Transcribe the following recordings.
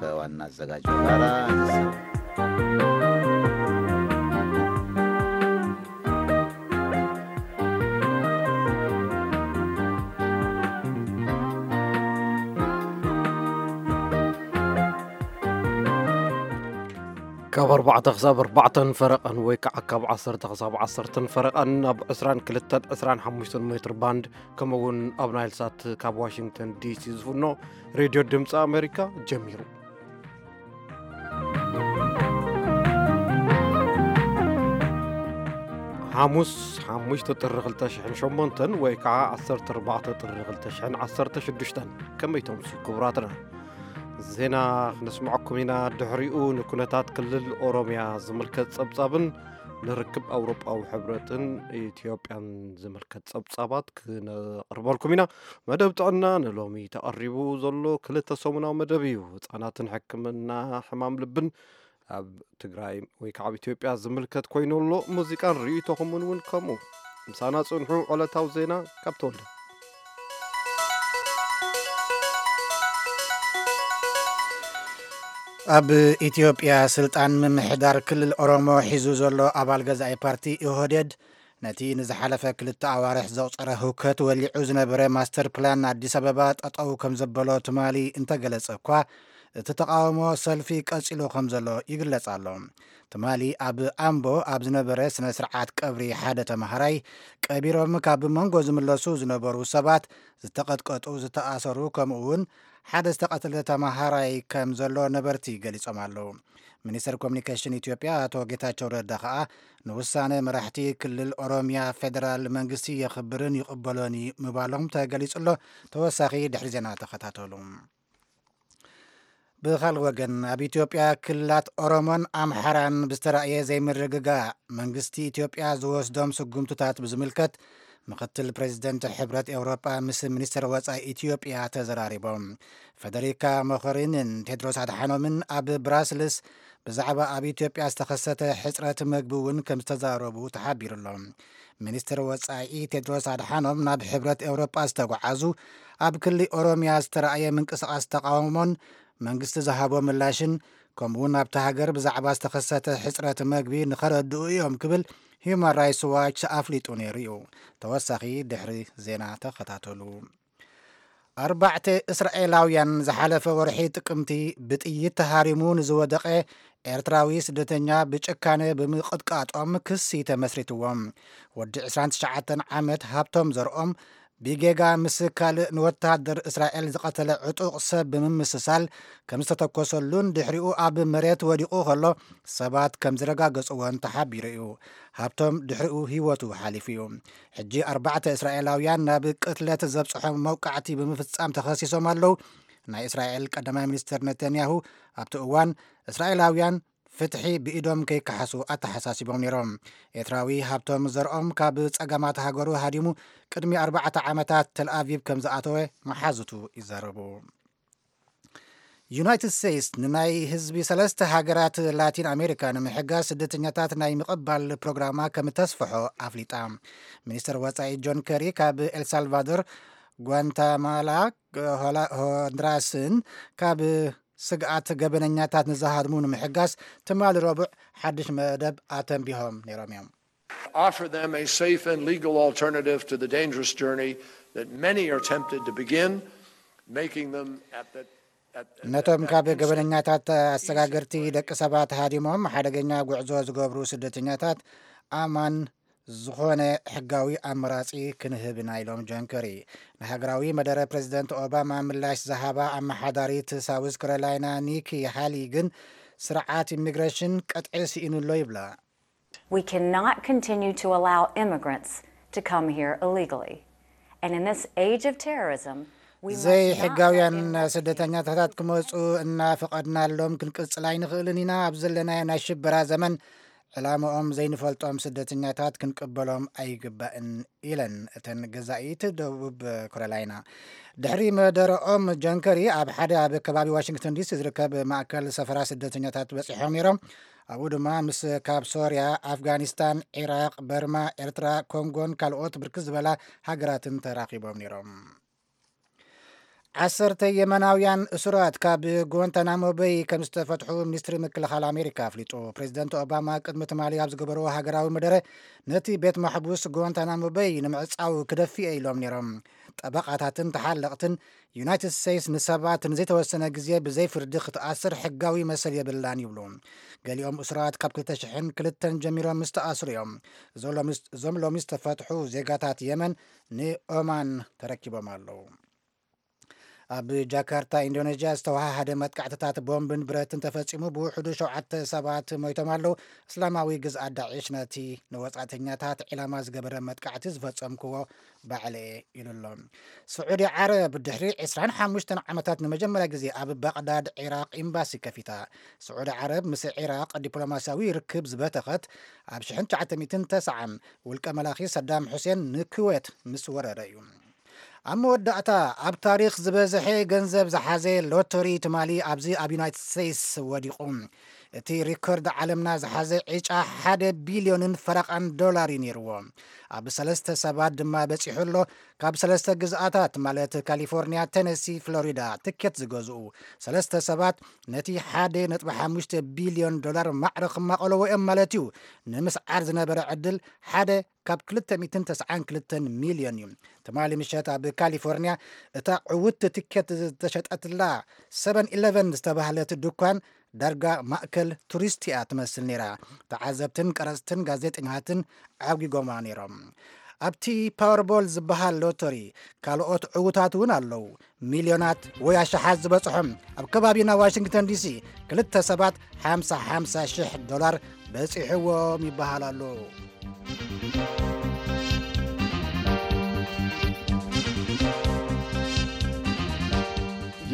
ከዋና ኣዘጋጅ ጋራ ካብ ኣርባዕተ ክሳብ ኣርባዕተን ፈረቐን ወይ ከዓ ካብ ዓሰርተ ክሳብ ዓሰርተን ፈረቐን ኣብ ዕስራን ክልተን ዕስራን ሓሙሽተን ሜትር ባንድ፣ ከምኡ እውን ኣብ ናይል ሳት ካብ ዋሽንግተን ዲሲ ዝፍኖ ሬድዮ ድምፂ ኣሜሪካ ጀሚሩ። ሓሙስ ሓሙሽተ ጥሪ ክልተ ሽሕን ሸሞንተን ወይ ከዓ ዓሰርተ ኣርባዕተ ጥሪ ክልተ ሽሕን ዓሰርተ ሽዱሽተን። ከመይ ተምሱ ክቡራትና? ዜና ክነስምዐኩም ኢና። ድሕሪኡ ንኩነታት ክልል ኦሮምያ ዝምልከት ጸብጻብን ንርክብ ኣውሮጳዊ ሕብረትን ኢትዮጵያን ዝምልከት ጸብጻባት ክነቕርበልኩም ኢና። መደብ ጥዕና ንሎሚ ተቐሪቡ ዘሎ ክልተ ሰሙናዊ መደብ እዩ። ህጻናትን ሕክምና ሕማም ልብን ኣብ ትግራይ ወይ ከዓ ኣብ ኢትዮጵያ ዝምልከት ኮይኑ ኣሎ። ሙዚቃን ርእይቶኹምን እውን ከምኡ። ምሳና ጽንሑ። ዕለታዊ ዜና ካብ ተወልደ። ኣብ ኢትዮጵያ ስልጣን ምምሕዳር ክልል ኦሮሞ ሒዙ ዘሎ ኣባል ገዛኢ ፓርቲ ኢህወዴድ፣ ነቲ ንዝሓለፈ ክልተ ኣዋርሕ ዘቑጸረ ህውከት ወሊዑ ዝነበረ ማስተር ፕላን ኣዲስ ኣበባ ጠጠው ከም ዘበሎ ትማሊ እንተገለጸ እኳ፣ እቲ ተቓውሞ ሰልፊ ቀጺሉ ከም ዘሎ ይግለጽ ኣሎ። ትማሊ ኣብ ኣምቦ ኣብ ዝነበረ ስነ ስርዓት ቀብሪ ሓደ ተማሃራይ ቀቢሮም ካብ መንጎ ዝምለሱ ዝነበሩ ሰባት ዝተቐጥቀጡ፣ ዝተኣሰሩ፣ ከምኡ እውን ሓደ ዝተቐተለ ተማሃራይ ከም ዘሎ ነበርቲ ገሊጾም ኣለዉ። ሚኒስተር ኮሚኒኬሽን ኢትዮጵያ ኣቶ ጌታቸው ረዳ ከኣ ንውሳነ መራሕቲ ክልል ኦሮሚያ ፌደራል መንግስቲ የኽብርን ይቕበሎን እዩ ምባሎም ተገሊጹ ኣሎ። ተወሳኺ ድሕሪ ዜና ተኸታተሉ። ብኻልእ ወገን ኣብ ኢትዮጵያ ክልላት ኦሮሞን ኣምሓራን ብዝተራእየ ዘይምርግጋእ መንግስቲ ኢትዮጵያ ዝወስዶም ስጉምትታት ብዝምልከት ምክትል ፕሬዚደንት ሕብረት ኤውሮጳ ምስ ሚኒስትር ወጻኢ ኢትዮጵያ ተዘራሪቦም። ፈደሪካ ሞኸሪንን ቴድሮስ ኣድሓኖምን ኣብ ብራስልስ ብዛዕባ ኣብ ኢትዮጵያ ዝተኸሰተ ሕጽረት መግቢ እውን ከም ዝተዛረቡ ተሓቢሩ ኣሎ። ሚኒስትር ወጻኢ ቴድሮስ ኣድሓኖም ናብ ሕብረት ኤውሮጳ ዝተጓዓዙ ኣብ ክሊ ኦሮሚያ ዝተራእየ ምንቅስቓስ ተቓውሞን መንግስቲ ዝሃቦ ምላሽን ከምኡውን ኣብቲ ሃገር ብዛዕባ ዝተኸሰተ ሕጽረት መግቢ ንኸረድኡ እዮም ክብል ሂዩማን ራይትስ ዋች ኣፍሊጡ ነይሩ እዩ። ተወሳኺ ድሕሪ ዜና ተኸታተሉ። ኣርባዕተ እስራኤላውያን ዝሓለፈ ወርሒ ጥቅምቲ ብጥይት ተሃሪሙ ንዝወደቐ ኤርትራዊ ስደተኛ ብጭካነ ብምቕጥቃጦም ክሲ ተመስሪትዎም። ወዲ ዕስራን ትሽዓተን ዓመት ሃብቶም ዘርኦም ብጌጋ ምስ ካልእ ንወተሃደር እስራኤል ዝቐተለ ዕጡቕ ሰብ ብምምስሳል ከም ዝተተኮሰሉን ድሕሪኡ ኣብ መሬት ወዲቑ ከሎ ሰባት ከም ዝረጋገጽዎን ተሓቢሩ እዩ። ሃብቶም ድሕሪኡ ህይወቱ ሓሊፉ እዩ። ሕጂ ኣርባዕተ እስራኤላውያን ናብ ቅትለት ዘብጽሖም መውቃዕቲ ብምፍጻም ተኸሲሶም ኣለዉ። ናይ እስራኤል ቀዳማይ ሚኒስትር ነተንያሁ ኣብቲ እዋን እስራኤላውያን ፍትሒ ብኢዶም ከይከሓሱ ኣተሓሳሲቦም ነይሮም። ኤርትራዊ ሃብቶም ዘርኦም ካብ ጸገማት ሃገሩ ሃዲሙ ቅድሚ ኣርባዕተ ዓመታት ተልኣቪቭ ከም ዝኣተወ መሓዙቱ ይዛረቡ። ዩናይትድ ስቴትስ ንናይ ህዝቢ ሰለስተ ሃገራት ላቲን ኣሜሪካ ንምሕጋዝ ስደተኛታት ናይ ምቕባል ፕሮግራማ ከም ተስፍሖ ኣፍሊጣ። ሚኒስትር ወጻኢ ጆን ከሪ ካብ ኤልሳልቫዶር፣ ጓንታማላ፣ ሆንድራስን ካብ ስግኣት ገበነኛታት ንዝሃድሙ ንምሕጋዝ ትማሊ ረቡዕ ሓድሽ መደብ ኣተንቢሆም ነይሮም እዮም። Offer them a safe and legal alternative to the dangerous journey that many are tempted to begin, making them at the ነቶም ካብ ገበነኛታት ኣሰጋገርቲ ደቂ ሰባት ሃዲሞም ሓደገኛ ጉዕዞ ዝገብሩ ስደተኛታት ኣማን ዝኾነ ሕጋዊ ኣመራፂ ክንህብ ኢና ኢሎም ጆን ከሪ። ንሃገራዊ መደረ ፕሬዚደንት ኦባማ ምላሽ ዝሃባ ኣመሓዳሪት ሳውዝ ካሮላይና ኒኪ ሃሊ ግን ስርዓት ኢሚግሬሽን ቀጥዒ ስኢኑ ኣሎ ይብላ። We cannot continue to allow immigrants to come here illegally. And in this age of terrorism, we must not ዘይሕጋውያን let anyone ስደተኛታት ክመፁ እናፈቐድናሎም ክንቅፅል ኣይንኽእልን ኢና። ኣብ ዘለናዮ ናይ ሽበራ ዘመን ዕላምኦም ዘይንፈልጦም ስደተኛታት ክንቅበሎም ኣይግባእን ኢለን እተን ገዛኢት ደቡብ ካሮላይና። ድሕሪ መደረኦም ጆን ከሪ ኣብ ሓደ ኣብ ከባቢ ዋሽንግተን ዲሲ ዝርከብ ማእከል ሰፈራ ስደተኛታት በፂሖም ነይሮም። ኣብኡ ድማ ምስ ካብ ሶርያ፣ ኣፍጋኒስታን፣ ዒራቕ፣ በርማ፣ ኤርትራ፣ ኮንጎን ካልኦት ብርክት ዝበላ ሃገራትን ተራኺቦም ነይሮም። ዓሰርተ የመናውያን እሱራት ካብ ጓንታናሞ በይ ከም ዝተፈትሑ ሚኒስትሪ ምክልኻል ኣሜሪካ ኣፍሊጡ። ፕሬዚደንት ኦባማ ቅድሚ ትማሊ ኣብ ዝገበርዎ ሃገራዊ መደረ፣ ነቲ ቤት ማሕቡስ ጓንታናሞ በይ ንምዕጻው ክደፊ እየ ኢሎም ነይሮም። ጠበቓታትን ተሓለቕትን፣ ዩናይትድ ስቴትስ ንሰባት ንዘይተወሰነ ግዜ ብዘይ ፍርዲ ክትኣስር ሕጋዊ መሰል የብላን ይብሉ። ገሊኦም እሱራት ካብ ክልተ ሽሕን ክልተን ጀሚሮም ምስ ተኣስሩ እዮም። እዞም ሎሚ፣ እዞም ሎሚ ዝተፈትሑ ዜጋታት የመን ንኦማን ተረኪቦም ኣለዉ። ኣብ ጃካርታ ኢንዶኔዥያ ዝተወሃሃደ መጥቃዕትታት ቦምብን ብረትን ተፈጺሙ፣ ብውሕዱ ሸውዓተ ሰባት ሞይቶም ኣለዉ። እስላማዊ ግዝኣት ዳዒሽ ነቲ ንወጻእተኛታት ዒላማ ዝገበረ መጥቃዕቲ ዝፈጸምክዎ ባዕለ ኢሉ ኣሎ። ስዑዲ ዓረብ ድሕሪ ዕስራን ሓሙሽተን ዓመታት ንመጀመርያ ግዜ ኣብ ባቕዳድ ዒራቕ ኤምባሲ ከፊታ። ስዑዲ ዓረብ ምስ ዒራቕ ዲፕሎማስያዊ ርክብ ዝበተኸት ኣብ ሽሕን ትሽዓተ ሚእትን ተስዓን ውልቀ መላኺ ሰዳም ሑሴን ንኩዌት ምስ ወረረ እዩ። ኣብ መወዳእታ፣ ኣብ ታሪኽ ዝበዝሐ ገንዘብ ዝሓዘ ሎተሪ ትማሊ ኣብዚ ኣብ ዩናይትድ ስቴትስ ወዲቑ። እቲ ሪኮርድ ዓለምና ዝሓዘ ዕጫ ሓደ ቢልዮንን ፈረቓን ዶላር እዩ ነይርዎ። ኣብ ሰለስተ ሰባት ድማ በጺሑ ኣሎ። ካብ ሰለስተ ግዝኣታት፣ ማለት ካሊፎርኒያ፣ ቴነሲ፣ ፍሎሪዳ፣ ትኬት ዝገዝኡ ሰለስተ ሰባት፣ ነቲ ሓደ ነጥቢ ሓሙሽተ ቢልዮን ዶላር ማዕረ ክማቐለዎ እዮም ማለት እዩ። ንምስዓር ዝነበረ ዕድል ሓደ ካብ ክልተ ሚእትን ተስዓን ክልተን ሚልዮን እዩ። ትማሊ ምሸት ኣብ ካሊፎርኒያ እታ ዕውት ትኬት ዝተሸጠትላ ሰቨን ኢለቨን ዝተባህለት ድኳን ዳርጋ ማእከል ቱሪስት እያ ትመስል ነይራ። ተዓዘብትን ቀረጽትን ጋዜጠኛታትን ዓጒጎማ ነይሮም። ኣብቲ ፓወርቦል ዝበሃል ሎተሪ ካልኦት ዕዉታት እውን ኣለዉ። ሚልዮናት ወይ ኣሽሓት ዝበጽሖም፣ ኣብ ከባቢና ዋሽንግተን ዲሲ ክልተ ሰባት ሓምሳ ሓምሳ ሽሕ ዶላር በጺሕዎም ይበሃል ኣሎ።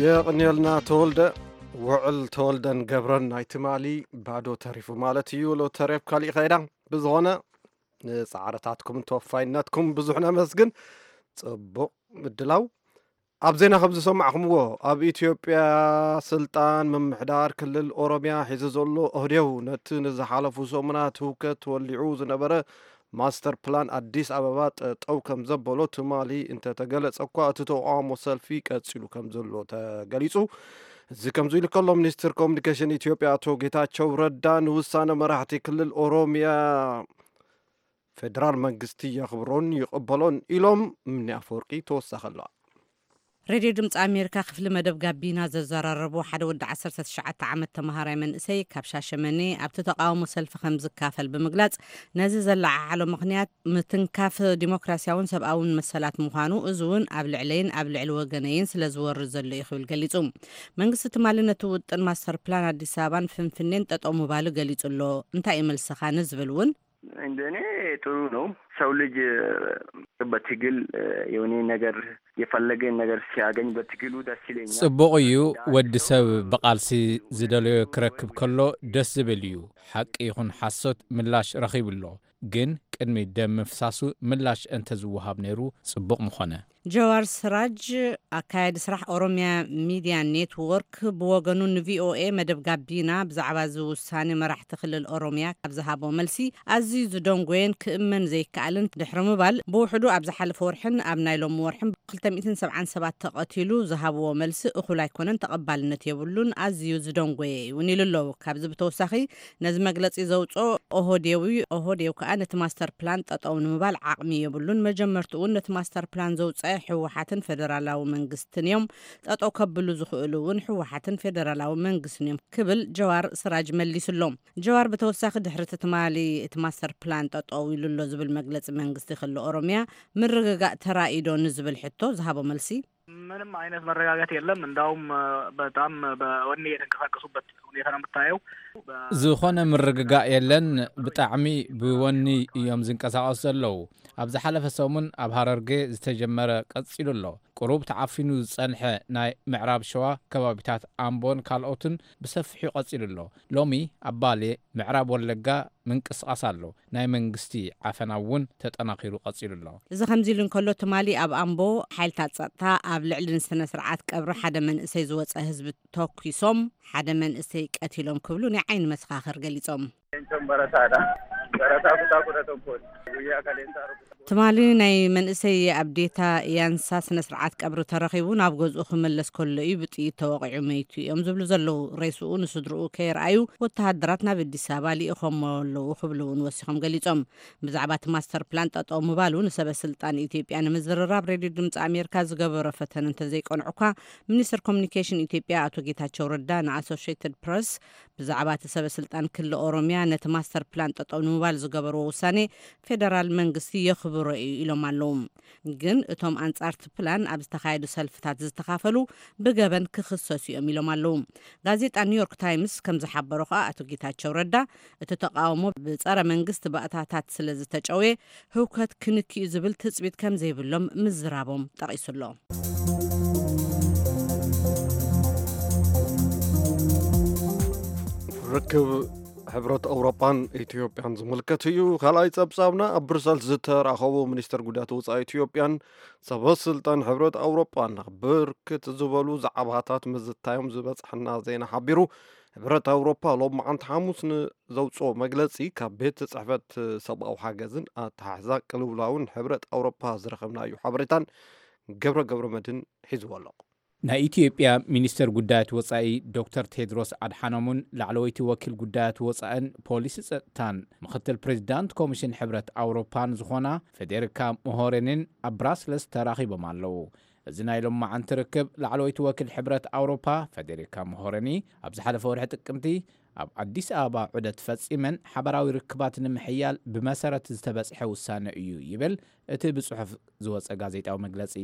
የቕንየልና ተወልደ። ውዕል ተወልደን ገብረን ናይ ትማሊ ባዶ ተሪፉ ማለት እዩ። ሎተሪ ኣብ ካሊእ ከይዳ። ብዝኾነ፣ ንጻዕርታትኩምን ተወፋይነትኩም ብዙሕ ነመስግን። ጽቡቕ ምድላው። ኣብ ዜና ከም ዝሰማዕኹምዎ፣ ኣብ ኢትዮጵያ ስልጣን ምምሕዳር ክልል ኦሮሚያ ሒዙ ዘሎ ኦህዴው፣ ነቲ ንዝሓለፉ ሰሙናት ህውከት ወሊዑ ዝነበረ ማስተር ፕላን ኣዲስ ኣበባ ጠጠው ከም ዘበሎ ትማሊ እንተተገለጸ እኳ፣ እቲ ተቃውሞ ሰልፊ ቀጺሉ ከም ዘሎ ተገሊጹ። እዚ ከምዚ ኢሉ ከሎ፣ ሚኒስትር ኮሙኒኬሽን ኢትዮጵያ ኣቶ ጌታቸው ረዳ ንውሳነ መራሕቲ ክልል ኦሮሚያ ፌደራል መንግስቲ የኽብሮን ይቕበሎን ኢሎም። ምኒ ኣፈወርቂ ተወሳኺ ኣለዋ። ሬድዮ ድምፂ ኣሜሪካ ክፍሊ መደብ ጋቢና ዘዘራረቦ ሓደ ወዲ ዓሰርተ ትሽዓተ ዓመት ተምሃራይ መንእሰይ ካብ ሻሸመኔ ኣብቲ ተቃውሞ ሰልፊ ከም ዝካፈል ብምግላጽ፣ ነዚ ዘለዓዓሎ ምኽንያት ምትንካፍ ዲሞክራሲያውን ሰብኣውን መሰላት ምዃኑ፣ እዚ እውን ኣብ ልዕለይን ኣብ ልዕሊ ወገነይን ስለ ዝወርድ ዘሎ እዩ ክብል ገሊጹ። መንግስቲ ትማሊ ነቲ ውጥን ማስተር ፕላን ኣዲስ ኣበባን ፍንፍኔን ጠጠው ምባሉ ገሊጹ ኣሎ። እንታይ እዩ መልስኻ ንዝብል እውን፣ እንደኔ ጥሩ ነው። ሰው ልጅ በትግል የሆነ ነገር፣ የፈለገን ነገር ሲያገኝ በትግሉ ደስ ይለኛል። ጽቡቕ እዩ። ወዲ ሰብ ብቓልሲ ዝደለዮ ክረክብ ከሎ ደስ ዝብል እዩ። ሓቂ ይኹን ሓሶት ምላሽ ረኺቡ ኣሎ። ግን ቅድሚ ደም ምፍሳሱ ምላሽ እንተዝወሃብ ነይሩ ጽቡቕ ምኾነ። ጀዋር ስራጅ፣ ኣካያዲ ስራሕ ኦሮሚያ ሚድያ ኔትወርክ፣ ብወገኑ ንቪኦኤ መደብ ጋቢና ብዛዕባ እዚ ውሳኔ መራሕቲ ክልል ኦሮሚያ ካብ ዝሃቦ መልሲ፣ ኣዝዩ ዝደንጎየን ክእመን ዘይከኣልን ድሕሪ ምባል፣ ብውሕዱ ኣብ ዝሓለፈ ወርሕን ኣብ ናይ ሎሚ ወርሕን ክልተ ሚእትን ሰብዓን ሰባት ተቐቲሉ ዝሃብዎ መልሲ እኹል ኣይኮነን፣ ተቐባልነት የብሉን፣ ኣዝዩ ዝደንጎየ እውን ኢሉ ኣሎ። ካብዚ ብተወሳኺ፣ ነዚ መግለጺ ዘውጽኦ ኦህዴዊ፣ ኦህዴው ከኣ ነቲ ማስተር ፕላን ጠጠው ንምባል ዓቕሚ የብሉን። መጀመርትኡ እውን ነቲ ማስተር ፕላን ዘውጸአ ህወሓትን ፌደራላዊ መንግስትን እዮም። ጠጠው ከብሉ ዝኽእሉ እውን ህወሓትን ፌደራላዊ መንግስትን እዮም ክብል ጀዋር ስራጅ መሊሱሎም። ጀዋር ብተወሳኺ ድሕሪ እቲ ትማሊ እቲ ማስተር ፕላን ጠጠው ኢሉ ኣሎ ዝብል መግለጺ መንግስቲ ክልል ኦሮሚያ ምርግጋእ ተራኢዶ ንዝብል ሕቶ ዝሃቦ መልሲ፣ ምንም አይነት መረጋጋት የለም። እንዳውም በጣም በወኔ የተንቀሳቀሱበት ሁኔታ ነው የምታየው። ዝኾነ ምርግጋእ የለን። ብጣዕሚ ብወኒ እዮም ዝንቀሳቐሱ ዘለዉ። ኣብ ዝሓለፈ ሰሙን ኣብ ሃረርጌ ዝተጀመረ ቀጺሉ ኣሎ። ቁሩብ ተዓፊኑ ዝጸንሐ ናይ ምዕራብ ሸዋ ከባቢታት ኣምቦን ካልኦትን ብሰፊሑ ቀጺሉ ኣሎ። ሎሚ ኣብ ባሌ፣ ምዕራብ ወለጋ ምንቅስቓስ ኣሎ። ናይ መንግስቲ ዓፈና እውን ተጠናኺሩ ቀጺሉ ኣሎ። እዚ ከምዚ ኢሉ እንከሎ፣ ትማሊ ኣብ ኣምቦ ሓይልታት ጸጥታ ኣብ ልዕሊ ንስነ ስርዓት ቀብሪ ሓደ መንእሰይ ዝወጸ ህዝቢ ተኲሶም ሓደ መንእሰይ ቀቲሎም ክብሉ ናይ ዓይኒ መሰኻኽር ገሊጾም። Leencoon barataadha. ትማሊ ናይ መንእሰይ ኣዴታ ያንሳ ስነ ስርዓት ቀብሪ ተረኺቡ ናብ ገዝኡ ክመለስ ከሎ እዩ ብጥይት ተወቒዑ መይቱ እዮም ዝብሉ ዘለዉ። ሬስኡ ንስድርኡ ከየርኣዩ ወተሃደራት ናብ ኣዲስ ኣበባ ልኢኾሞ ኣለዉ ክብሉ እውን ወሲኾም ገሊጾም። ብዛዕባ እቲ ማስተር ፕላን ጠጠው ምባሉ ንሰበ ስልጣን ኢትዮጵያ ንምዝርራብ ሬድዮ ድምፂ ኣሜሪካ ዝገበሮ ፈተነ እንተዘይቀንዑ እኳ፣ ሚኒስትር ኮሚኒኬሽን ኢትዮጵያ ኣቶ ጌታቸው ረዳ ንኣሶሽየትድ ፕረስ ብዛዕባ እቲ ሰበ ስልጣን ክሊ ኦሮሚያ ነቲ ማስተር ፕላን ጠጠው ንምባል ዝገበርዎ ውሳኔ ፌደራል መንግስቲ የኽብሮ እዩ ኢሎም ኣለዉ። ግን እቶም ኣንጻር እቲ ፕላን ኣብ ዝተኻየዱ ሰልፍታት ዝተኻፈሉ ብገበን ክኽሰሱ እዮም ኢሎም ኣለዉ። ጋዜጣ ኒውዮርክ ታይምስ ከም ዝሓበሮ ከኣ ኣቶ ጌታቸው ረዳ እቲ ተቃውሞ ብጸረ መንግስቲ ባእታታት ስለ ዝተጨውየ ህውከት ክንክዩ ዝብል ትጽቢት ከም ዘይብሎም ምዝራቦም ጠቒሱ ኣሎ። ርክብ ሕብረት ኣውሮጳን ኢትዮጵያን ዝምልከት እዩ። ካልኣይ ጸብጻብና ኣብ ብሩሰልስ ዝተራኸቡ ሚኒስትር ጉዳያት ወጻኢ ኢትዮጵያን ሰበ ስልጣን ሕብረት ኣውሮጳን ብርክት ዝበሉ ዛዕባታት ምዝታዮም ዝበጽሐና ዜና ሓቢሩ። ሕብረት ኣውሮፓ ሎማዓንቲ ሓሙስ ንዘውፅኦ መግለፂ ካብ ቤት ፅሕፈት ሰብኣዊ ሓገዝን ኣተሓሕዛ ቅልውላውን ሕብረት ኣውሮፓ ዝረኸብናዮ ሓበሬታን ገብረ ገብረ መድን ሒዝዎ ኣሎ። ናይ ኢትዮጵያ ሚኒስተር ጉዳያት ወጻኢ ዶክተር ቴድሮስ ኣድሓኖምን ላዕለወይቲ ወኪል ጉዳያት ወጻእን ፖሊሲ ጸጥታን ምኽትል ፕሬዚዳንት ኮሚሽን ሕብረት ኣውሮፓን ዝኾና ፌዴሪካ ሞሆሬኒን ኣብ ብራስለስ ተራኺቦም ኣለዉ። እዚ ናይ ሎማዓንቲ ርክብ ላዕለወይቲ ወኪል ሕብረት ኣውሮፓ ፌዴሪካ ሞሆሬኒ ኣብ ዝሓለፈ ወርሒ ጥቅምቲ ኣብ ኣዲስ ኣበባ ዑደት ፈጺመን ሓበራዊ ርክባት ንምሕያል ብመሰረት ዝተበጽሐ ውሳነ እዩ ይብል እቲ ብጽሑፍ ዝወጸ ጋዜጣዊ መግለጺ።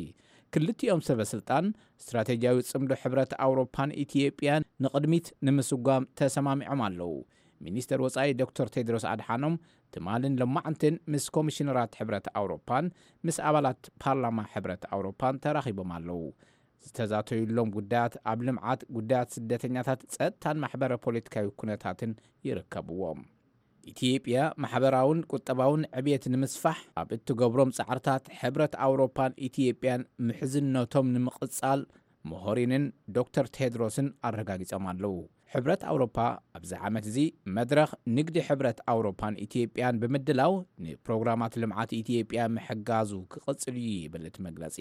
ክልቲኦም ሰበ ስልጣን ስትራቴጂያዊ ጽምዶ ሕብረት ኣውሮፓን ኢትዮጵያን ንቕድሚት ንምስጓም ተሰማሚዖም ኣለዉ። ሚኒስተር ወጻኢ ዶክተር ቴድሮስ ኣድሓኖም ትማልን ሎማዕንትን ምስ ኮሚሽነራት ሕብረት ኣውሮፓን ምስ ኣባላት ፓርላማ ሕብረት ኣውሮፓን ተራኺቦም ኣለዉ። ዝተዛተዩሎም ጉዳያት ኣብ ልምዓት፣ ጉዳያት ስደተኛታት፣ ጸጥታን ማሕበረ ፖለቲካዊ ኩነታትን ይርከብዎም። ኢትዮጵያ ማሕበራውን ቁጠባውን ዕብየት ንምስፋሕ ኣብ እትገብሮም ጻዕርታት ሕብረት ኣውሮፓን ኢትዮጵያን ምሕዝነቶም ንምቕጻል ሞሆሪንን ዶክተር ቴድሮስን ኣረጋጊጾም ኣለዉ። ሕብረት ኣውሮፓ ኣብዚ ዓመት እዚ መድረኽ ንግዲ ሕብረት ኣውሮፓን ኢትዮጵያን ብምድላው ንፕሮግራማት ልምዓት ኢትዮጵያ ምሕጋዙ ክቕጽል እዩ ይብል እቲ መግለጺ።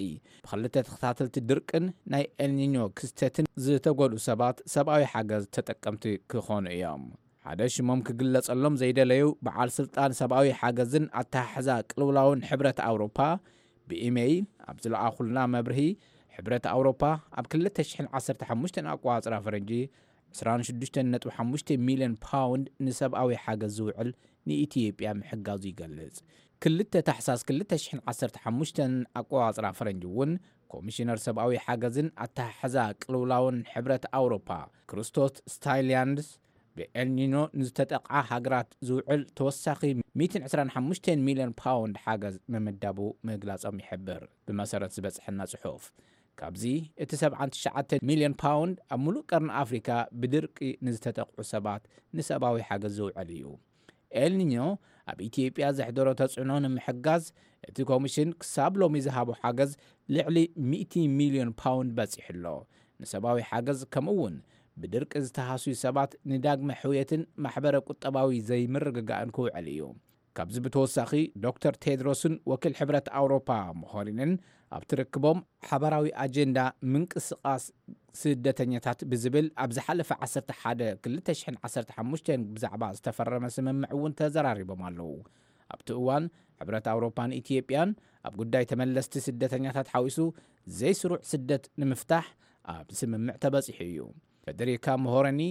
ብኽልተ ተኸታተልቲ ድርቅን ናይ ኤልኒኞ ክስተትን ዝተጎድኡ ሰባት ሰብኣዊ ሓገዝ ተጠቀምቲ ክኾኑ እዮም። ሓደ ሽሞም ክግለጸሎም ዘይደለዩ በዓል ስልጣን ሰብኣዊ ሓገዝን ኣተሓሕዛ ቅልውላውን ሕብረት ኣውሮፓ ብኢሜይል ኣብ ዝለኣኹልና መብርሂ፣ ሕብረት ኣውሮፓ ኣብ ክልተ ሽሕን ዓሰርተ ሓሙሽተን ኣቆጻጽራ ፈረንጂ ዕስራን ሽዱሽተን ነጥቢ ሓሙሽተ ሚልዮን ፓውንድ ንሰብኣዊ ሓገዝ ዝውዕል ንኢትዮጵያ ምሕጋዙ ይገልጽ። ክልተ ታሕሳስ ክልተ ሽሕን ዓሰርተ ሓሙሽተን ኣቆጻጽራ ፈረንጂ እውን ኮሚሽነር ሰብኣዊ ሓገዝን ኣተሓሕዛ ቅልውላውን ሕብረት ኣውሮፓ ክርስቶስ ስታይልያንድስ ብኤልኒኖ ንዝተጠቕዓ ሃገራት ዝውዕል ተወሳኺ ሚእትን ዕስራን ሓሙሽተን ሚልዮን ፓውንድ ሓገዝ ምምዳቡ ምግላጾም ይሕብር። ብመሰረት ዝበጽሐና ጽሑፍ፣ ካብዚ እቲ ሰብዓን ትሽዓተን ሚልዮን ፓውንድ ኣብ ሙሉእ ቀርኒ ኣፍሪካ ብድርቂ ንዝተጠቕዑ ሰባት ንሰብኣዊ ሓገዝ ዝውዕል እዩ። ኤልኒኞ ኣብ ኢትዮጵያ ዘሕደሮ ተጽዕኖ ንምሕጋዝ እቲ ኮሚሽን ክሳብ ሎሚ ዝሃቦ ሓገዝ ልዕሊ ሚእቲ ሚልዮን ፓውንድ በጺሑ ኣሎ። ንሰብኣዊ ሓገዝ ከምኡ እውን ብድርቂ ዝተሃስዩ ሰባት ንዳግመ ሕውየትን ማሕበረ ቁጠባዊ ዘይምርግጋእን ክውዕል እዩ። ካብዚ ብተወሳኺ ዶክተር ቴድሮስን ወኪል ሕብረት ኣውሮፓ ሞሆሪንን ኣብቲ ርክቦም ሓባራዊ ኣጀንዳ ምንቅስቓስ ስደተኛታት ብዝብል ኣብ ዝሓለፈ ዓሰርተ ሓደ ክልተ ሽሕን ዓሰርተ ሓሙሽተን ብዛዕባ ዝተፈረመ ስምምዕ እውን ተዘራሪቦም ኣለዉ። ኣብቲ እዋን ሕብረት ኣውሮፓን ኢትዮጵያን ኣብ ጉዳይ ተመለስቲ ስደተኛታት ሓዊሱ ዘይስሩዕ ስደት ንምፍታሕ ኣብ ስምምዕ ተበጺሑ እዩ። ፌደሪካ ሞሆረኒ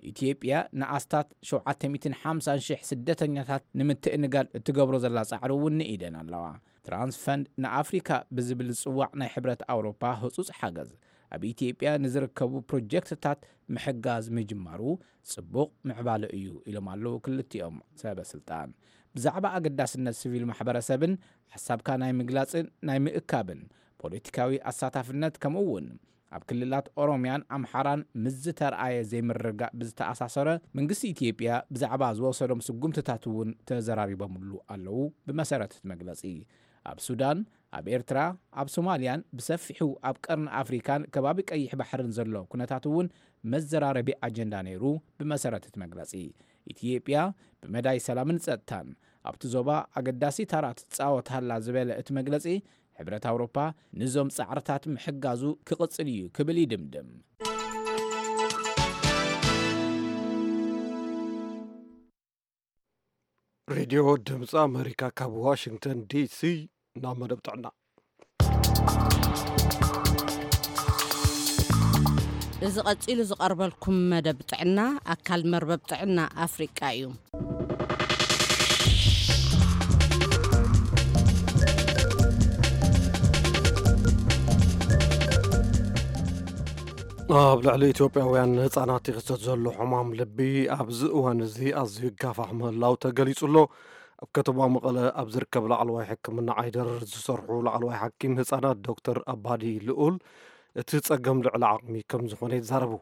ኢትዮጵያ ንኣስታት ሸውዓተ ሚእትን ሓምሳን ሽሕ ስደተኛታት ንምትእንጋድ እትገብሮ ዘላ ጻዕሪ እውን ንኢደን ኣለዋ። ትራንስፈንድ ንኣፍሪካ ብዝብል ዝጽዋዕ ናይ ሕብረት ኣውሮፓ ህጹጽ ሓገዝ ኣብ ኢትዮጵያ ንዝርከቡ ፕሮጀክትታት ምሕጋዝ ምጅማሩ ጽቡቕ ምዕባለ እዩ ኢሎም ኣለዉ ክልቲኦም ሰበ ስልጣን። ብዛዕባ ኣገዳስነት ሲቪል ማሕበረሰብን ሓሳብካ ናይ ምግላጽን ናይ ምእካብን ፖለቲካዊ ኣሳታፍነት ከምኡ እውን ኣብ ክልላት ኦሮሚያን ኣምሓራን ምስ ዝተርኣየ ዘይምርግጋእ ብዝተኣሳሰረ መንግስቲ ኢትዮጵያ ብዛዕባ ዝወሰዶም ስጉምትታት እውን ተዘራሪቦምሉ ኣለዉ። ብመሰረት እቲ መግለጺ ኣብ ሱዳን፣ ኣብ ኤርትራ፣ ኣብ ሶማልያን ብሰፊሑ ኣብ ቀርኒ ኣፍሪካን ከባቢ ቀይሕ ባሕርን ዘሎ ኩነታት እውን መዘራረቢ ኣጀንዳ ነይሩ። ብመሰረት እቲ መግለጺ ኢትዮጵያ ብመዳይ ሰላምን ጸጥታን ኣብቲ ዞባ ኣገዳሲ ታራ ትጻወት ሃላ ዝበለ እቲ መግለጺ፣ ሕብረት ኣውሮፓ ንዞም ጻዕርታት ምሕጋዙ ክቕጽል እዩ ክብል ይድምድም። ሬድዮ ድምፂ ኣመሪካ ካብ ዋሽንግተን ዲሲ ናብ መደብ ጥዕና። እዚ ቀጺሉ ዝቐርበልኩም መደብ ጥዕና ኣካል መርበብ ጥዕና ኣፍሪቃ እዩ። ኣብ ልዕሊ ኢትዮጵያውያን ህጻናት ይኽሰት ዘሎ ሕማም ልቢ ኣብዚ እዋን እዚ ኣዝዩ ይጋፋሕ ምህላው ተገሊጹ ኣሎ። ኣብ ከተማ መቐለ ኣብ ዝርከብ ላዕለዋይ ሕክምና ዓይደር ዝሰርሑ ላዕለዋይ ሓኪም ህጻናት ዶክተር ኣባዲ ልኡል፣ እቲ ጸገም ልዕሊ ዓቕሚ ከም ዝኾነ ይዛረቡ።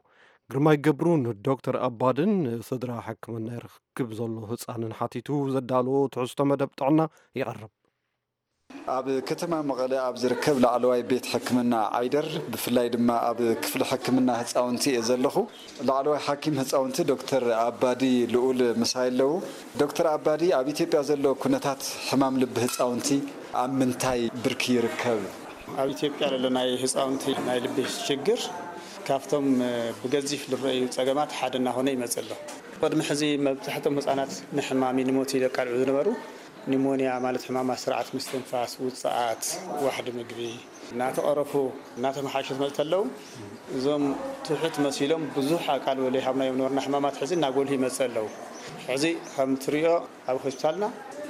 ግርማይ ገብሩ ንዶክተር ኣባድን ንስድራ ሕክምና ይረክብ ዘሎ ህጻንን ሓቲቱ ዘዳለዎ ትሕዝቶ መደብ ጥዕና ይቐርብ። ኣብ ከተማ መቐለ ኣብ ዝርከብ ላዕለዋይ ቤት ሕክምና ዓይደር፣ ብፍላይ ድማ ኣብ ክፍሊ ሕክምና ህፃውንቲ እየ ዘለኹ። ላዕለዋይ ሓኪም ህፃውንቲ ዶክተር ኣባዲ ልኡል ምሳይ ኣለዉ። ዶክተር ኣባዲ፣ ኣብ ኢትዮጵያ ዘሎ ኩነታት ሕማም ልቢ ህፃውንቲ ኣብ ምንታይ ብርኪ ይርከብ? ኣብ ኢትዮጵያ ዘሎ ናይ ህፃውንቲ ናይ ልቢ ሽግር ካብቶም ብገዚፍ ዝረኣዩ ፀገማት ሓደ እናኾነ ይመፅእ ኣሎ። ቅድሚ ሕዚ መብዛሕትኦም ህፃናት ንሕማም ንሞት ይቃልዑ ዝነበሩ፣ ኒሞንያ ማለት ሕማማት ስርዓት ምስትንፋስ፣ ውፅኣት፣ ዋሕዲ ምግቢ እናተቐረፉ እናተመሓየሹ ዝመፁ ተለዉ፣ እዞም ትሑት መሲሎም ብዙሕ ኣቃልቦ ዘይሃብናዮም ነበርና ሕማማት ሕዚ እናጎልሁ ይመፅእ ኣለዉ። ሕዚ ከም ትሪኦ ኣብ ሆስፒታልና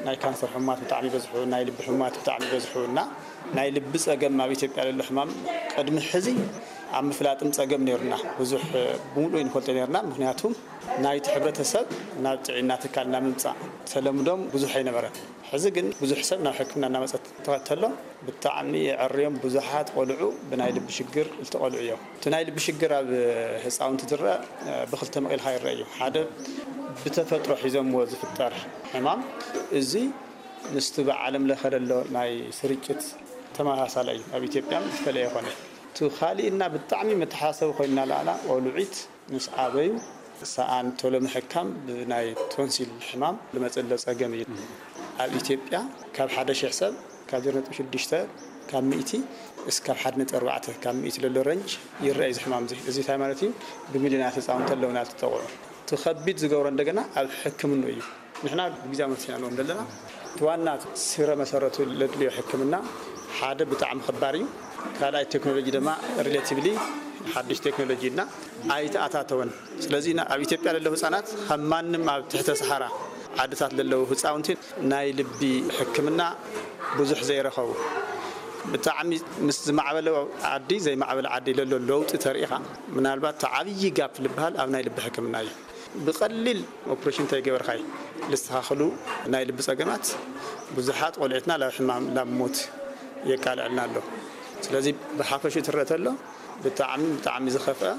ናይ ካንሰር ሕሙማት ብጣዕሚ ይበዝሑ፣ ናይ ልቢ ሕሙማት ብጣዕሚ ይበዝሑ እና ናይ ልቢ ፀገም ኣብ ኢትዮጵያ ዘሎ ሕማም ቅድሚ ሕዚ ኣብ ምፍላጥም ፀገም ነይሩና። ብዙሕ ብምሉእ ይንፈልጦ ነይርና፣ ምክንያቱ ናይቲ ሕብረተሰብ ናብ ጥዕና ትካል ናብ ምምፃእ ተለምዶም ብዙሕ ኣይነበረን። ሕዚ ግን ብዙሕ ሰብ ናብ ሕክምና እናመፀ ተኸተሎ ብጣዕሚ የዕርዮም። ብዙሓት ቆልዑ ብናይ ልቢ ሽግር ዝተቐልዑ እዮም። እቲ ናይ ልቢ ሽግር ኣብ ህፃውንቲ ዝረአ ብክልተ መቒልካ ይረአ እዩ። ሓደ ብተፈጥሮ ሒዞምዎ ዝፍጠር ሕማም፣ እዚ ምስቲ ብዓለም ለኸ ዘሎ ናይ ስርጭት ተመሳሳሊ እዩ። ኣብ ኢትዮጵያ ዝተለየ ኮነ። እቲ ካሊእና ብጣዕሚ መተሓሳሰቢ ኮይንና ለኣላ ቆልዒት ምስ ዓበዩ ሰኣን ቶሎ ምሕካም ብናይ ቶንሲል ሕማም ዝመፅእ ዘሎ ፀገም እዩ። ኣብ ኢትዮጵያ ካብ ሓደ ሽሕ ሰብ ካብ ዜሮ ነጥቢ ሽዱሽተ ካብ ሚእቲ እስካብ ሓደ ነጥቢ ኣርባዕተ ካብ ሚእቲ ዘሎ ረንጅ ይረአ እዚ ሕማም እዚ። እዚ እንታይ ማለት እዩ? ብሚልዮናት ህፃውንቲ ኣለውና ዝተጠቕዑ። እቲ ከቢድ ዝገብሮ እንደገና ኣብ ሕክምኑ እዩ። ንሕና ብግዜ መሲና ንኦም ዘለና እቲ ዋና ስረ መሰረቱ ለድልዮ ሕክምና ሓደ ብጣዕሚ ክባር እዩ። ካልኣይ ቴክኖሎጂ ድማ ሪሌቲቭሊ ሓድሽ ቴክኖሎጂ እና ኣይተኣታተወን። ስለዚ ኣብ ኢትዮጵያ ለለዉ ህፃናት ካብ ማንም ኣብ ትሕተ ሰሃራ ዓድታት ለለዉ ህፃውንቲ ናይ ልቢ ሕክምና ብዙሕ ዘይረኸቡ ብጣዕሚ ምስ ዝማዕበለ ዓዲ ዘይማዕበለ ዓዲ ለሎ ለውጢ ተሪኢኻ ምናልባት እቲ ዓብዪ ጋፕ ልበሃል ኣብ ናይ ልቢ ሕክምና እዩ። ብቐሊል ኦፕሬሽን እንተይገበርካይ ልስተኻኽሉ ናይ ልቢ ጸገማት ብዙሓት ቆልዑትና ላብ ሕማም ላብ ሞት የቃልዐልና ኣሎ። ስለዚ ብሓፈሹ ትረአ ተሎ ብጣዕሚ ብጣዕሚ ዝኸፍአ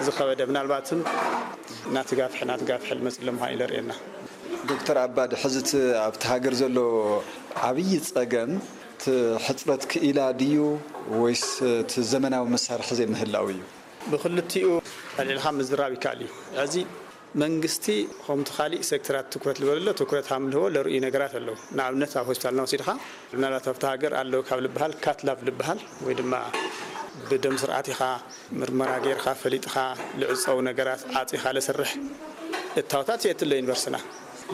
ዝኸበደ ምናልባትም እናተጋፍሐ እናተጋፍሐ ልመጽእ ኣሎ ምዃኑ እዩ ለርእየና። ዶክተር ኣባዲ ሕዚ እቲ ኣብቲ ሃገር ዘሎ ዓብዪ ጸገም እቲ ሕፅረት ክኢላ ድዩ ወይስ እቲ ዘመናዊ መሳርሒ ዘይምህላው እዩ? ብክልቲኡ ኣልዒልካ ምዝራብ ይከኣል እዩ። ሕዚ መንግስቲ ከምቲ ካሊእ ሴክተራት ትኩረት ዝበለሎ ትኩረት ሃምልዎ ለርእዩ ነገራት ኣለዉ። ንኣብነት ኣብ ሆስፒታልና ወሲድኻ ምናልባት ኣብቲ ሃገር ኣለዉ ካብ ልበሃል ካትላብ ልበሃል ወይ ድማ ብደም ስርዓት ኢኻ ምርመራ ጌርካ ፈሊጥኻ ልዕፀው ነገራት ዓፂኻ ለስርሕ እታወታት የትለ ዩኒቨርስና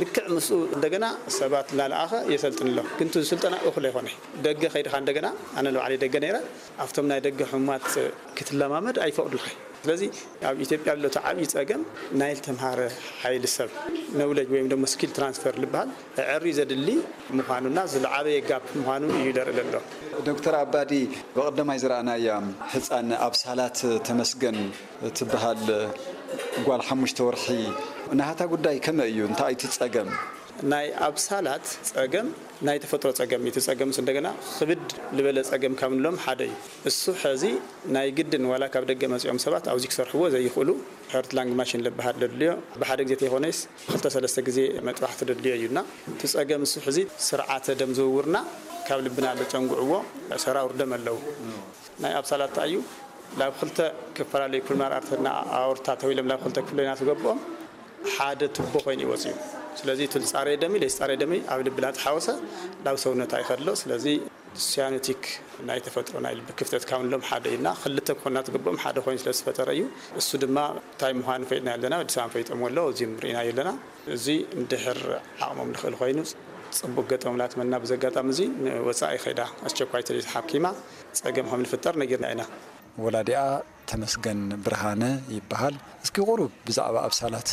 ልክዕ ምስኡ እንደገና ሰባት እናለኣኸ የሰልጥን ኣሎ። ግን እቲ ስልጠና እኹል ኣይኮነ። ደገ ከይድኻ እንደገና ኣነ ንባዕለይ ደገ ነይረ ኣብቶም ናይ ደገ ሕሙማት ክትለማመድ ኣይፈቕዱልካ። ስለዚ ኣብ ኢትዮጵያ ኣሎ እቲ ዓብዪ ጸገም ናይ ዝተምሃረ ሓይሊ ሰብ ነውለጅ ወይም ደሞ ስኪል ትራንስፈር ዝበሃል ዕሪ ዘድሊ ምዃኑና ዝለዓበየ ጋፕ ምዃኑ እዩ ዘርኢ ዘሎ። ዶክተር ኣባዲ ብቐደማይ ዝረኣናያ ህፃን ኣብ ሳላት ተመስገን ትበሃል ጓል ሓሙሽተ ወርሒ ናሃታ ጉዳይ ከመይ እዩ? እንታይ እቲ ጸገም? ናይ ኣብሳላት ጸገም ናይ ተፈጥሮ ጸገም እዩ። እቲ ጸገምስ እንደገና ክብድ ዝበለ ጸገም ካብ ንብሎም ሓደ እዩ። እሱ ሕዚ ናይ ግድን ዋላ ካብ ደገ መጺኦም ሰባት ኣብዚ ክሰርሕዎ ዘይኽእሉ ሀርት ላንግ ማሽን ዝበሃል ዘድልዮ ብሓደ ግዜ ተይኮነስ ክልተ ሰለስተ ግዜ መጥባሕቲ ዘድልዮ እዩ እና እቲ ጸገም እሱ ሕዚ ስርዓተ ደም ዝውውርና ካብ ልብና ኣሎ ጨንጉዕዎ ሰራውር ደም ኣለዉ ናይ ኣብሳላት እዩ ናብ ክልተ ክፈላለዩ ፕልሞናሪ ኣርተሪና ኣወርታ ተዊሎም ናብ ክልተ ክፍሎ ኢና ትገብኦም ሓደ ቱቦ ኮይኑ ይወፅእ እዩ። ስለዚ እቲ ዝፃረየ ደሚ ለይፃረየ ደሚ ኣብ ልቢ እናተሓወሰ ናብ ሰውነታ ይኸድሎ። ስለዚ ሲያኖቲክ ናይ ተፈጥሮ ናይ ልቢ ክፍተት ካብ ንሎም ሓደ ኢና። ክልተ ክኾና ትግብኦም ሓደ ኮይኑ ስለ ዝተፈጠረ እዩ። እሱ ድማ እንታይ ምዃኑ ፈይጥና ኣለና፣ ወዲ ሰባት ፈይጦም ኣሎ፣ እዚም ርኢና ኣለና። እዚ እንድሕር ዓቕሞም ንኽእል ኮይኑ ፅቡቅ ገጠም ላትመና። ብዚ ኣጋጣሚ እዚ ንወፃኢ ከይዳ ኣስቸኳይ ተሪት ሓኪማ ፀገም ከም ንፍጠር ነጊርና ኢና። ወላዲኣ ተመስገን ብርሃነ ይበሃል። እስኪ ቁሩብ ብዛዕባ ኣብሳላት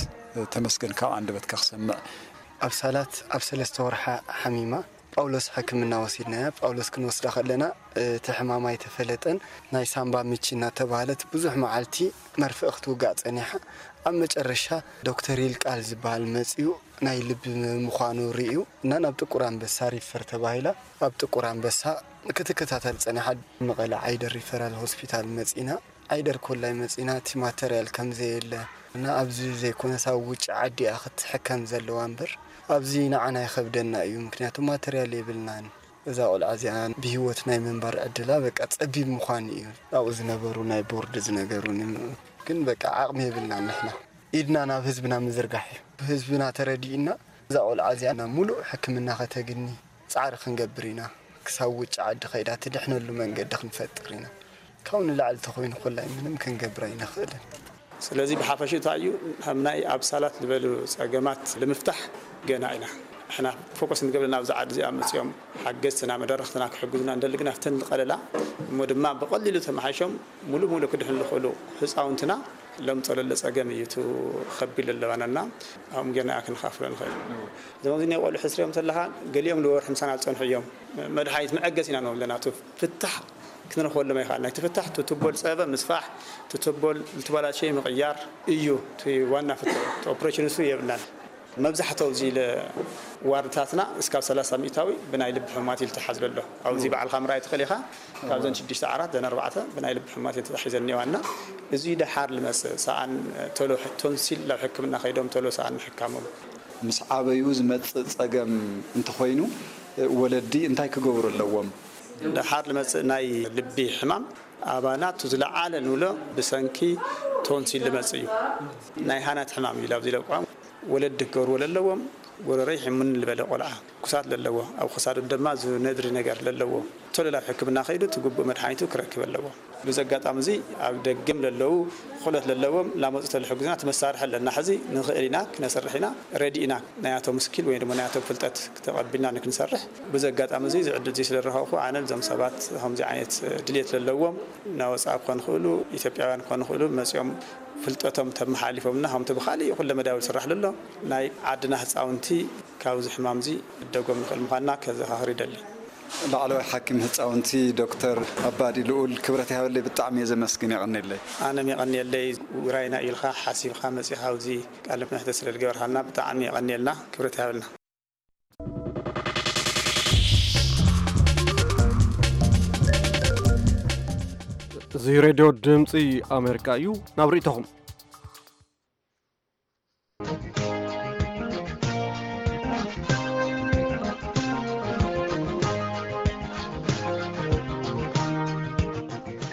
ተመስገን ካብ ኣንደበትካ ክሰምዕ። ኣብሳላት ኣብ ሰለስተ ወርሓ ሓሚማ ጳውሎስ ሕክምና ወሲድናያ። ጳውሎስ ክንወስዳ ከለና እቲ ሕማም ኣይተፈለጠን። ናይ ሳምባ ምች እናተባህለት ብዙሕ መዓልቲ መርፍእ ክትውጋእ ጸኒሓ። ኣብ መጨረሻ ዶክተር ይልቃል ዝበሃል መጺኡ ናይ ልቢ ምዃኑ ርእዩ እና ናብ ጥቁር ኣንበሳ ሪፈር ተባሂላ። ኣብ ጥቁር ኣንበሳ ክትከታተል ጸኒሓ። መቐለ ዓይደር ሪፈራል ሆስፒታል መጺና። ዓይደር ኮላይ መጺና እቲ ማተርያል ከም ዘየለ እና ኣብዚ ዘይኮነስ ኣብ ውጭ ዓዲ እያ ክትሕከም ዘለዋ እምበር ኣብዚ ንዓና ይኸብደና እዩ። ምክንያቱ ማተርያል የብልናን። እዛ ቆልዓ እዚኣ ብህይወት ናይ ምንባር ዕድላ በቃ ጸቢብ ምዃኑ እዩ። ኣብኡ ዝነበሩ ናይ ቦርድ ዝነገሩኒ። ግን በቃ ዓቕሚ የብልናን ንሕና። ኢድና ናብ ህዝብና ምዝርጋሕ እዩ። ህዝብና ተረዲእና እዛ ቆልዓ እዚኣ ናብ ሙሉእ ሕክምና ከተግኒ ጻዕሪ ክንገብር ኢና። ክሳብ ውጭ ዓዲ ከይዳ ትድሕነሉ መንገዲ ክንፈጥር ኢና። ካብኡ ንላዕሊ ተኾይኑ ኮላይ ምንም ክንገብር ኣይንኽእልን። ስለዚ ብሓፈሽኡ እንታይ እዩ፣ ከም ናይ ኣብሳላት ዝበሉ ጸገማት ንምፍታሕ ገና ኢና። ንሕና ፎከስ ንገብር ናብዚ ዓዲ እዚኣ መጺኦም ሓገዝትና መደረኽትና ክሕግዙና እንደሊ፣ ግን ኣብተን ዝቐለላ እሞ ድማ ብቐሊሉ ተመሓይሾም ሙሉእ ሙሉእ ክድሕኑ ዝኽእሉ ህፃውንትና ለምፀ ለለ ጸገም እዩ። እቲ ከቢድ ለለባናና ኣብኦም ጌርና ክንኻፍሎ ንኽእል። እዞም ኣብዚ ናይ ቆልዑ ሕስሪኦም ዘለኻ ገሊኦም ንወርሒ ምሳና ዝጸንሑ እዮም። መድሃኒት መዐገስ ኢና ንብሎም ዘለና። እቲ ፍታሕ ክንረኽበሎም ኣይከኣልናን። እቲ ፍታሕ እቲ ቱቦ ዝጸበበ ምስፋሕ፣ እቲ ቱቦ ዝተበላሸየ ምቕያር እዩ እቲ ዋና ፍታሕ። እቲ ኦፕሬሽን እሱ የብልናን። መብዛሕትኡ ኣብዚ ለ-፣ ዋርድታትና እስካብ ሰላሳ ሚእታዊ ብናይ ልቢ ሕሙማት እዩ ዝተሓዝለ ኣሎ። ኣብዚ ባዕልኻ ምርኣይ ትኽእል ኢኻ። ካብዘን ሽዱሽተ ዓራት ዘን ኣርባዕተ ብናይ ልቢ ሕሙማት እየን ተታሒዘን እኒዋ እና እዚ ደሓር ልመጽእ ሰኣን ቶሎ ሕ-፣ ቶንሲል ናብ ሕክምና ከይዶም ቶሎ ሰኣን ምሕካሞም። ምስ ዓበዩ ዝመጽእ ጸገም እንተኾይኑ ወለዲ እንታይ ክገብሩ ኣለዎም? ደሓር ልመጽእ ናይ ልቢ ሕማም ኣባና እቱ ዝለዓለ ንብሎ ብሰንኪ ቶንሲል ልመጽእ እዩ። ናይ ሃናት ሕማም እዩ ኣብዚ ለቋም። ወለዲ ክገብርዎ ለለዎም፣ ጎረረይ ሕሙን ዝበለ ቆልዓ፣ ኩሳት ለለዎ፣ ኣብ ክሳዱ ድማ ዝነድሪ ነገር ለለዎ፣ ቶሎ ናብ ሕክምና ከይዱ እቲ ግቡእ መድሓኒቱ ክረክብ ኣለዎ። በዚ ኣጋጣሚ እዚ ኣብ ደገም ለለዉ፣ ክእለት ለለዎም ላመፁ ተልሕጉዝና እቲ መሳርሒ ኣለና። ሕዚ ንኽእል ኢና፣ ክነሰርሕ ኢና፣ ረዲ ኢና። ናያቶም ስኪል ወይ ድማ ናያቶም ፍልጠት ተቐቢልና ንክንሰርሕ። በዚ ኣጋጣሚ እዚ፣ እዚ ዕድል እዚ ስለ ዝረኸብኩ፣ ኣነ ነዞም ሰባት ከምዚ ዓይነት ድልየት ለለዎም፣ ናወፃ ክኾኑ ይኽእሉ፣ ኢትዮጵያውያን ክኾኑ ይኽእሉ፣ መፂኦም ፍልጠቶም ተመሓላሊፎምና፣ ከምቲ ብኻሊእ ኩለ መዳያዊ ዝስራሕ ዘሎ፣ ናይ ዓድና ህፃውንቲ ካብዚ ሕማም እዚ ክደጎም ንኽእል ምዃንና ከዘኻኽር ይደሊ። ላዕለዋይ ሓኪም ህፃውንቲ ዶክተር ኣባዲ ልኡል፣ ክብረት ይሃበለይ፣ ብጣዕሚ እየ ዘመስግን፣ የቐንየለይ። ኣነ የቐንየለይ፣ ውራይና ኢልካ ሓሲብካ መፂኻ ኣብዚ ቃለ መሕትት ስለ ዝገበርካልና ብጣዕሚ የቐንየልና፣ ክብረት ይሃበልና። እዚ ሬድዮ ድምፂ ኣሜሪካ እዩ። ናብ ርእይቶኹም።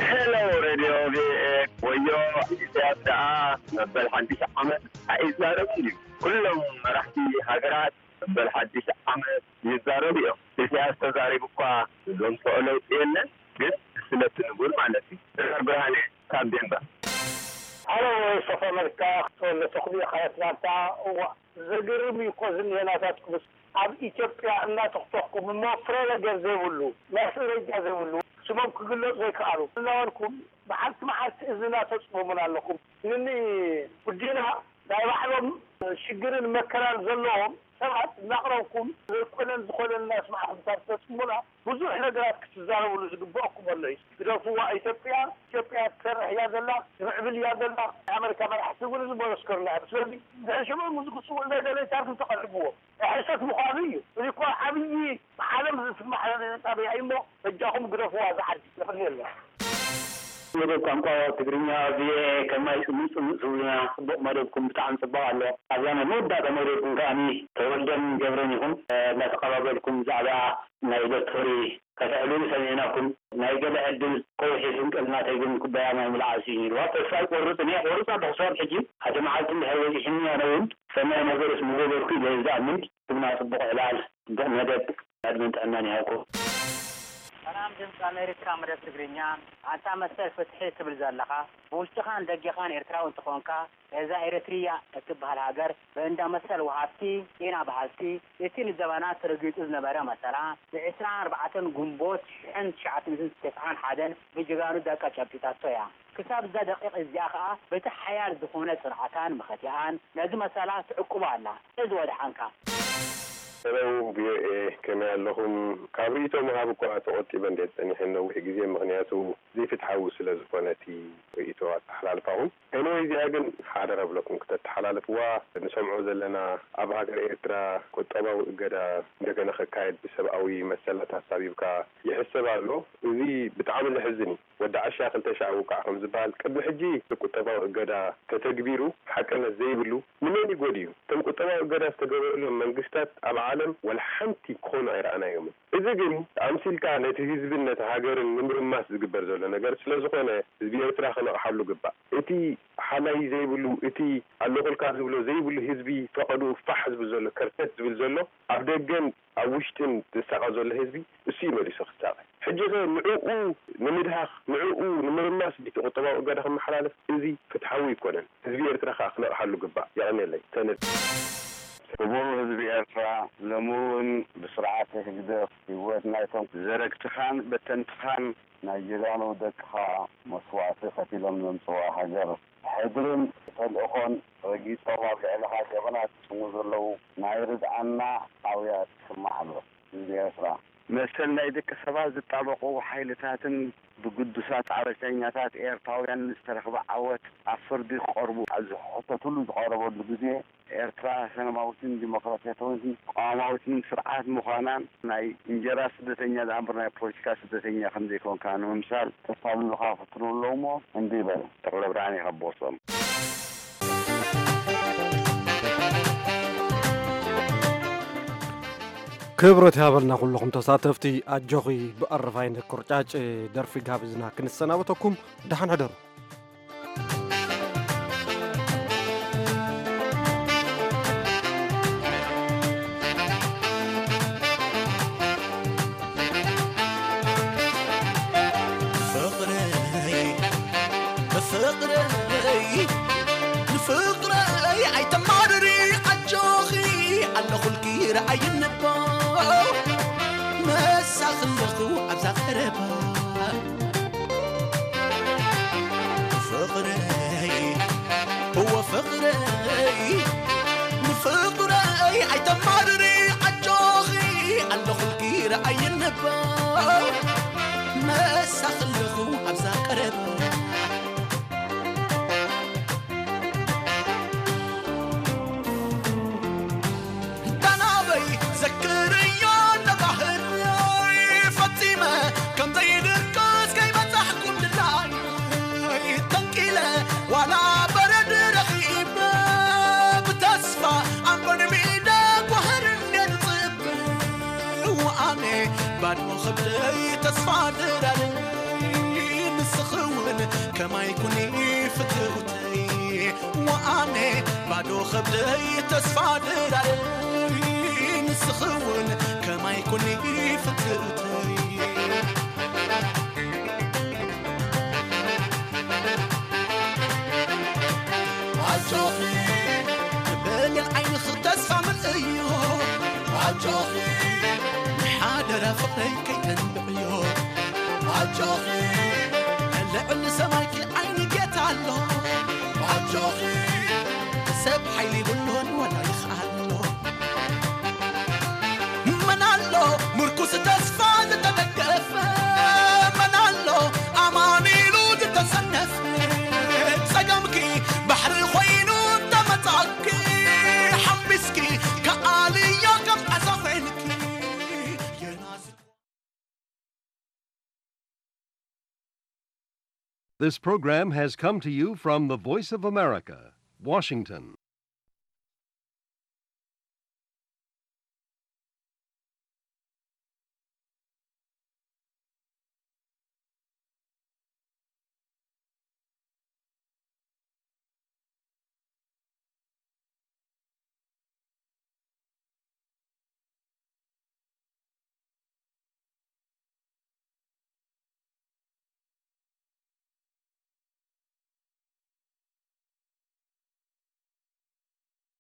ሄሎ ሬድዮ ቪኦኤ፣ ወዮ ኢሳያስ ደኣ መበል ሓድሽ ዓመት ኣይዛረብን እዩ። ኩሎም መራሕቲ ሃገራት መበል ሓድሽ ዓመት ይዛረቡ እዮም። ኢሳያስ ተዛሪቡ እኳ ዘምፅኦ ለውጢ የለን፣ ግን ንስለቲ ንቡር ማለት እዩ። ዶክተር ብርሃነ ካብ ዴንቨር። ሃሎ ሶፋ መልካ፣ ተወልደ ተኽሉ፣ ካብ ኣትላንታ። እዋ፣ ዘገርም እዩ እኮ ዝኒሀ ናታትኩምስ። ኣብ ኢትዮጵያ እናተኽተኽኩም እሞ ፍረ ነገር ዘይብሉ፣ ማስረጃ ዘይብሉ፣ ስሞም ክግለጹ ዘይከኣሉ እናበልኩም መዓልቲ መዓልቲ እዝንና ተጽምሙና ኣለኹም። ንኒ ጉዲና ናይ ባዕሎም ሽግርን መከራን ዘለዎም ሰባት እናቕረብኩም ዘይኮነን ዝኾነን እናስማዕኹም ካብ ተጽምሙና ብዙሕ ነገራት ክትዛረብሉ ዝግበኣኩም ኣሎ እዩ። ግደፍዋ ኢትዮጵያ፣ ኢትዮጵያ ትሰርሕ እያ ዘላ፣ ትምዕብል እያ ዘላ። ናይ ኣመሪካ መራሕቲ እውን እዚ መመስከሩና እዮም። ስለዚ ድሕሪ ሽዑ ምስዚ ክጽውዕ ዘይደለየ ታሪኽ ተቐሪብዎ ናይ ሕሰት ምዃኑ እዩ። እዚ እኮ ዓብዪ ብዓለም ዝስማዕ ጣብያ እዩ እሞ በጃኹም ግደፍዋ እዛ ዓዲ። የቐንየልና። መደብ ቋንቋ ትግርኛ ቪኦኤ ከማይ ጽምእ ጽምእ ትብሉና ጽቡቕ መደብኩም ብጣዕሚ ጽቡቕ ኣሎ። ኣብዛ ናይ መወዳእታ መደብኩም ከኣ ተወልደን ገብረን ኢኹም እንዳተቐባበልኩም ብዛዕባ ናይ ሎቶሪ ከተዕልሉ ሰሚዕናኩም። ናይ ገለ ዕድል ከውሒ ፍንቅል ናተይ ግን ኩባያ ማይ ምልዓስ እዩ ነይርዋ። ተስፋ ኣይቆርጽን እየ፣ ቆርጽ ኣለኹ ክሳብ ሕጂ። ሓደ መዓልቲ እንድሕር በጺሑኒ ኣነ እውን ሰናይ ነገርስ ምገበርኩ ኢለ ዝኣምን። ትምና ጽቡቕ ዕላል፣ ጽቡቕ መደብ፣ ዕድመን ጥዕናን ይሃብኩም። ሰላም ድምፂ ኣሜሪካ መደብ ትግርኛ። ኣንታ መሰል ፍትሒ ትብል ዘለኻ፣ ብውሽጥኻን ደገኻን ኤርትራዊ እንተኾንካ፣ እዛ ኤረትርያ እትበሃል ሃገር ብእንዳ መሰል ወሃብቲ፣ ጤና በሃልቲ፣ እቲ ንዘበናት ተረጊጹ ዝነበረ መሰላ፣ ብዕስራን ኣርባዕተን ግንቦት ሽሕን ትሽዓተ ሚእትን ተስዓን ሓደን ብጀጋኑ ደቃ ጨቢጣቶ እያ። ክሳብ እዛ ደቂቕ እዚኣ ኸኣ በቲ ሓያል ዝኾነ ጽንዓታን መኸቲኣን ነዚ መሰላ ትዕቁቦ ኣላ። እዚ ወድሓንካ። ሄሎ፣ ቪ ኦ ኤ፣ ከመይ ኣለኹም? ካብ ርእይቶ ምሃብ እኳ ተቖጢበ እንድየ ጸኒሐ ነዊሕ ግዜ፣ ምኽንያቱ ዘይፍትሓዊ ስለ ዝኾነ እቲ ርእይቶ ኣተሓላልፋኹም። ኤኒወይ፣ እዚኣ ግን ሓደራ እብለኩም ክተተሓላልፍዋ። ንሰምዖ ዘለና ኣብ ሃገር ኤርትራ ቁጠባዊ እገዳ እንደገና ክካየድ ብሰብኣዊ መሰላት ኣሳቢብካ ይሕሰብ ኣሎ። እዚ ብጣዕሚ ዘሕዝን እዩ። ወዲ ዓሻ ክልተ ሻዕ ውቃዕ ከም ዝበሃል፣ ቅድሚ ሕጂ ቁጠባዊ እገዳ ተተግቢሩ ሓቅነት ዘይብሉ ንመን ይጎድዩ? እቶም ቁጠባዊ እገዳ ዝተገበረሎም መንግስታት ኣብ ዓለም ወላ ሓንቲ ክኾኑ ኣይረኣናዮምን። እዚ ግን ኣምሲልካ ነቲ ህዝብን ነቲ ሃገርን ንምርማስ ዝግበር ዘሎ ነገር ስለ ዝኾነ፣ ህዝቢ ኤርትራ ክነቕሓሉ ግባእ። እቲ ሓላይ ዘይብሉ፣ እቲ ኣለኹልካ ዝብሎ ዘይብሉ ህዝቢ፣ ፈቐድኡ ፋሕ ዝብል ዘሎ፣ ከርተት ዝብል ዘሎ፣ ኣብ ደገን ኣብ ውሽጥን ዝሳቐ ዘሎ ህዝቢ፣ እሱ እዩ መሊሱ ክሳቐ። ሕጂ ኸ ንዕኡ ንምድሃኽ፣ ንዕኡ ንምርማስ ድዩ እቲ ቁጠባዊ እገዳ ክመሓላለፍ? እዚ ፍትሓዊ ኣይኮነን። ህዝቢ ኤርትራ ከኣ ክነቕሓሉ ግባእ። የቐንየለይ። ሰነድ። ክቡር ህዝቢ ኤርትራ፣ ሎሚ እውን ብስርዓት ህግደፍ ህይወት ናይቶም ዘረግትኻን በተንትኻን ናይ ጀጋኑ ደቅኻ መስዋእቲ ከፊሎም ዘምጽዋ ሃገር ሕድርን ተልእኾን ረጊጾም ኣብ ልዕልኻ ገበናት ዝፍጽሙ ዘለዉ ናይ ርድኣና ኣውያት ይስማዕ ኣሎ። ህዝቢ ኤርትራ፣ መሰል ናይ ደቂ ሰባት ዝጣበቑ ሓይልታትን ብግዱሳት ጻዕርተኛታት ኤርትራውያን ዝተረኽበ ዓወት ኣብ ፍርዲ ክቐርቡ ኣብ ዝሕተትሉ ዝቐረበሉ ግዜ፣ ኤርትራ ሰላማዊትን ዲሞክራሲያዊትን ቅዋማዊትን ስርዓት ምዃናን ናይ እንጀራ ስደተኛ ደኣ እምበር ናይ ፖለቲካ ስደተኛ ከም ዘይኮንካ ንምምሳል ተሳልሉኻ ይፍትኑ ኣለዉ እሞ እንዲህ በል። ተኽለ ብርሃን ኢኻ ቦሶም። ክብረት ይሃበልና ኩልኹም ተሳተፍቲ። ኣጆኺ ብኣረፋይነት ቁርጫጭ ደርፊ ጋብዝና ክንሰናበተኩም። ደሓን ሕደሩ። ፍቕረይ፣ ፍቕረይ፣ ንፍቕረይ ኣይተማርሪ ኣጆኺ፣ ኣለኹልኪ ረኣይኒ እባ፣ ምሳኺ ኣለኹ ኣብዛ ቀረባ። ፍቕረይ፣ እወ ፍቕረይ፣ ንፍቕረይ ኣይተማርሪ ኣጆኺ፣ ኣለኹልኪ ረኣይኒ እባ፣ ምሳኺ ኣለኹ ኣብዛ ቀረባ። እታ ናበይ ዘክርዮ ነባህርዮይ ፈጺመ ከም ዘይድቅስ ከይበጻሕኩም ድላዮይ ተንቂለ ዋላ በረድ ረኺበ ብተስፋ ኣምበር ሜዳ ጓህር እንዴ ዝጽበ ወኣነ ባዶ ኸብደይ ተስፋ ድራለይ ንስኺ እውን ከማይ ኩኒ ፍትውተይ ወኣነ ባዶ ኸብደይ ተስፋ ድራለይ ንስኺ እውን ከማይ ኩኒ ፍትውተይ ኣጆኺ ብሌን ዓይንኺ ተስፋ ምልእዮ ኣጆኺ ንሓደራ ፍቕረይ ከይተንብዕዮ ኣጆኺ ልዕሊ ሰማይኪ ዓይኒ ጌታ ኣሎ ኣጆኺ ሰብ ሓይሊ ይብሉን ወላ ይኽኣሎ መን ኣሎ ምርኩስ ተስፋ ዝተደገፈ መን ኣሎ ኣማን ኢሉ ዝተሰነፈ ጸገምኪ ባሕሪ ኮይኑ እንተመጻኪ ሓምቢስኪ ከኣልዮ ከም ዓሳ ኮይንኪ የናስ This program has come to you from the Voice of America, Washington.